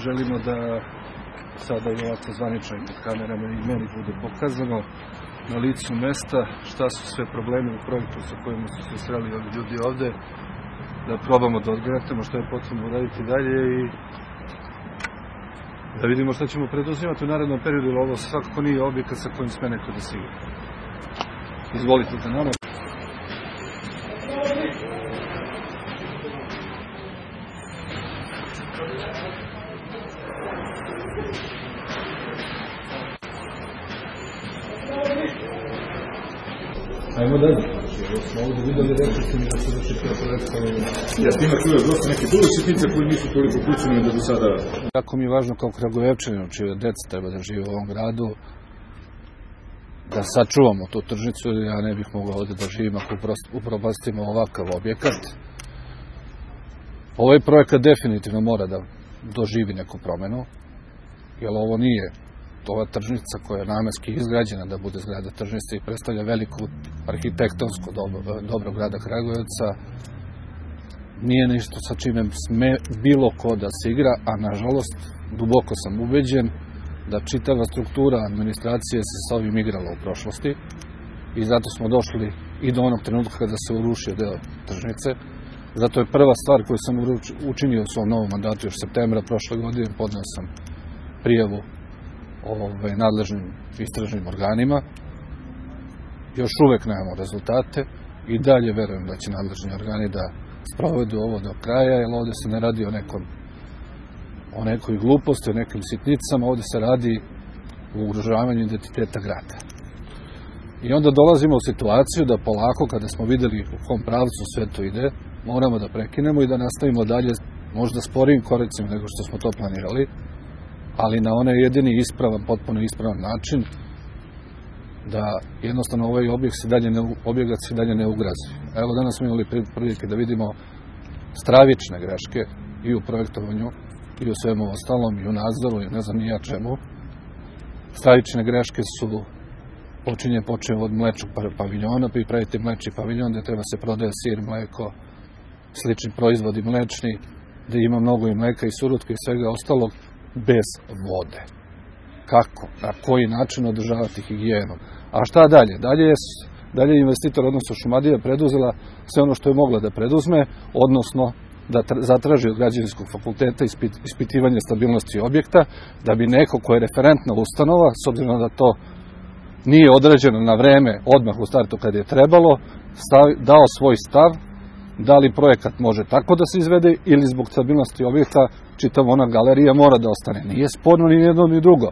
želimo da sada i ovako zvanično pred kamerama i meni bude pokazano na licu mesta šta su sve problemi u projektu sa kojima su se sreli ovi ljudi ovde, da probamo da odgledamo što je potrebno uraditi dalje i da vidimo šta ćemo preduzimati u narednom periodu, jer ovo svakako nije objekat sa kojim sme neko da se igra. Izvolite da nama. Ajmo dalje. Smo ovdje videli, rekli ste mi da se vrši projekta. Ja s njima čuo dosta neke druge sitnice koje nisu toliko ključne da do sada... Jako mi je važno kao Kragujevčaninu, čije deca treba da žive u ovom gradu, da sačuvamo tu tržnicu, ja ne bih mogao ovdje da živim ako upropastimo ovakav objekat. Ovaj projekat definitivno mora da doživi neku promenu, jer ovo nije ova tržnica koja je namenski izgrađena da bude zgrada tržnice i predstavlja veliku arhitektonsko dobro grada Kragujevca, nije nešto sa čime sme bilo ko da se igra, a nažalost duboko sam ubeđen da čitava struktura administracije se sa ovim igrala u prošlosti i zato smo došli i do onog trenutka kada se urušio deo tržnice. Zato je prva stvar koju sam učinio u svom novom mandatu još septembra prošle godine, podneo sam prijavu nadležnim istražnim organima. Još uvek nemamo rezultate i dalje verujem da će nadležni organi da sprovedu ovo do kraja, jer ovde se ne radi o nekoj gluposti, o nekim sitnicama, ovde se radi o ugrožavanju identiteta grada. I onda dolazimo u situaciju da polako, kada smo videli u kom pravcu sve to ide, moramo da prekinemo i da nastavimo dalje, možda sporijim koracima nego što smo to planirali, ali na onaj jedini ispravan, potpuno ispravan način, da jednostavno ovaj objekat se dalje ne ugrozi. Evo danas smo imali prilike da vidimo stravične greške i u projektovanju, i u svemu ostalom, i u nadzoru, i ne znam ni ja čemu. Stravične greške su počeo od mlečnog paviljona, pa i praviti mlečni paviljon gde treba se prodaje sir, mleko, slični proizvodi mlečni, gde ima mnogo i mleka i surutke i svega ostalog, bez vode. Kako? Na koji način održavati higijenu? A šta dalje? Dalje je investitor, odnosno Šumadija, preduzela sve ono što je mogla da preduzme, odnosno da zatraži od građevinskog fakulteta ispitivanje stabilnosti objekta, da bi neko ko je referentna ustanova, s obzirom da to nije odrađeno na vreme, odmah u startu kad je trebalo, dao svoj stav, da li projekat može tako da se izvede ili zbog stabilnosti objekta čitava ona galerija mora da ostane. Nije sporno ni jedno ni drugo,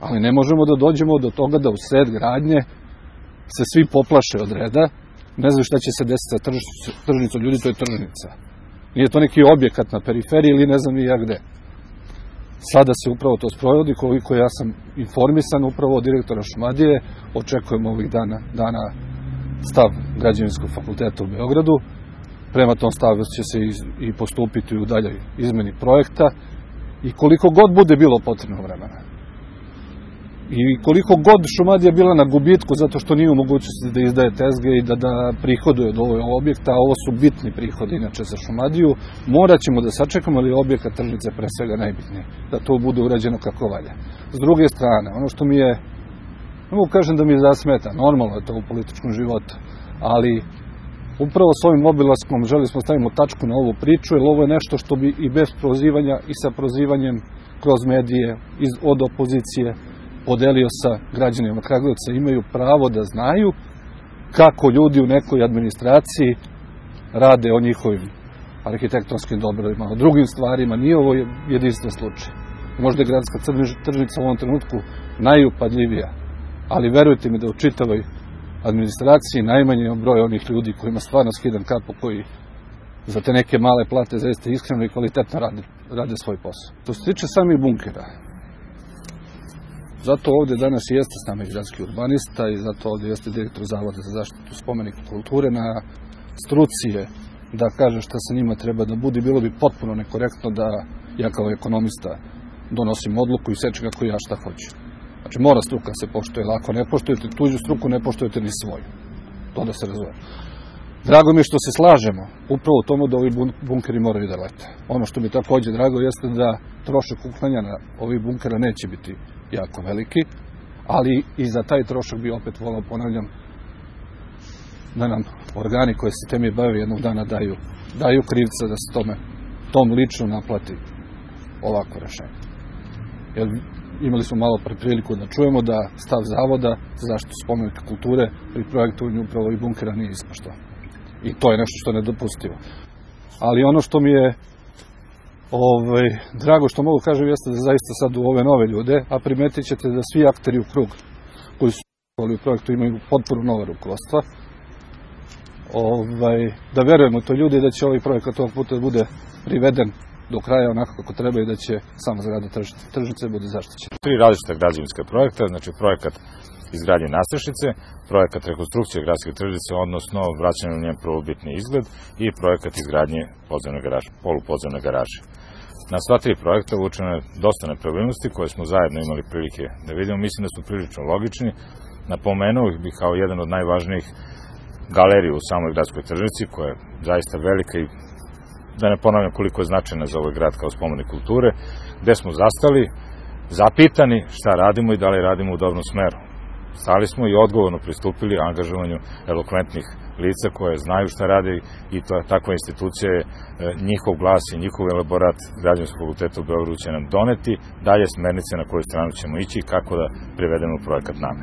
ali ne možemo da dođemo do toga da u sred gradnje se svi poplaše od reda, ne znaju šta će se desiti sa tržnicom, ljudi, to je tržnica. Nije to neki objekat na periferiji ili ne znam ni ja gde. Sada se upravo to sprovodi, koliko ja sam informisan upravo od direktora Šumadije, očekujemo ovih dana stav Građevinskog fakulteta u Beogradu. Prema tom stavu će se i postupiti u daljoj izmeni projekta i koliko god bude bilo potrebno vremena. I koliko god Šumadija bila na gubitku zato što nije u mogućnosti da izdaje tezge i da prihoduje od ovog objekta, a ovo su bitni prihodi inače za Šumadiju, morat ćemo da sačekamo, ali objekat tržnice pre svega najbitniji, da to bude urađeno kako valja. S druge strane, ono što mi je, ne mogu kažem da mi je zasmeta, normalno je to u političkom životu, ali upravo s ovim obilaskom želi smo stavimo tačku na ovu priču, jer ovo je nešto što bi i bez prozivanja i sa prozivanjem kroz medije od opozicije podelio sa građanima Kragujevca, imaju pravo da znaju kako ljudi u nekoj administraciji rade o njihovim arhitektonskim dobrima, o drugim stvarima. Nije ovo jedinstven slučaj. Možda je gradska tržnica u ovom trenutku najupadljivija, ali verujte mi da u čitavoj administraciji najmanje je broj onih ljudi kojima stvarno skidam kapu, koji za te neke male plate zaista iskreno i kvalitetno rade svoj posao. To se tiče samih bunkera. Zato ovdje danas i jeste s nama gradski urbanista i zato ovdje jeste direktor Zavoda za zaštitu spomenika kulture. Na struci je da kaže šta sa njima treba da bude. Bilo bi potpuno nekorektno da ja kao ekonomista donosim odluku i sećam kako ja šta hoću. Znači mora struka se poštuje, ako ne poštujete tuđu struku, ne poštujete ni svoju. To da se razume. Drago mi je što se slažemo upravo u tomu da ovi bunkeri moraju da lete. Ono što mi takođe drago jeste da trošak uklanjanja ovih bunkera neće biti jako veliki, ali i za taj trošak bi opet volao, ponavljam, da nam organi koji se temi bave jednog dana daju krivca da se tom lično naplati ovako rešenje. Jer imali smo malo pre priliku da čujemo da stav Zavoda za zaštitu spomenika kulture pri projektovanju upravo ovih bunkera nije ispoštovan. I to je nešto što je nedopustivo. Ali ono što mi je drago što mogu kažem jeste da zaista sad u ove nove ljude, a primetit ćete da svi akteri u krug koji su u projektu imaju potpuno nove rukovodstva, da verujemo to ljudi da će ovaj projekat ovog puta bude priveden do kraja onako kako treba i da će sama zgrada tržnice bude zaštićena. 3 različita građevinska projekta, znači projekat izgradnje nadstrešnice, projekat rekonstrukcije gradske tržnice, odnosno vraćanje u njen prvobitni izgled i projekat izgradnje polupodzemne garaže. Na sva 3 projekta uočeno je dosta nepravilnosti koje smo zajedno imali prilike da vidimo. Mislim da su prilično logični. Napomenuo bih kao jedan od najvažnijih galeriju u samoj gradskoj tržnici, koja je zaista velika i da ne ponavljam koliko je značajna za ovaj grad kao spomenik kulture, gde smo zastali, zapitani šta radimo i da li radimo u dobrom smeru. Stali smo i odgovorno pristupili angažovanju elokventnih lica koje znaju šta rade i takva institucija je njihov glas i njihov elaborat Građevinskog fakulteta u Beogradu će nam doneti dalje smernice na koju stranu ćemo ići i kako da privedemo projekat namere.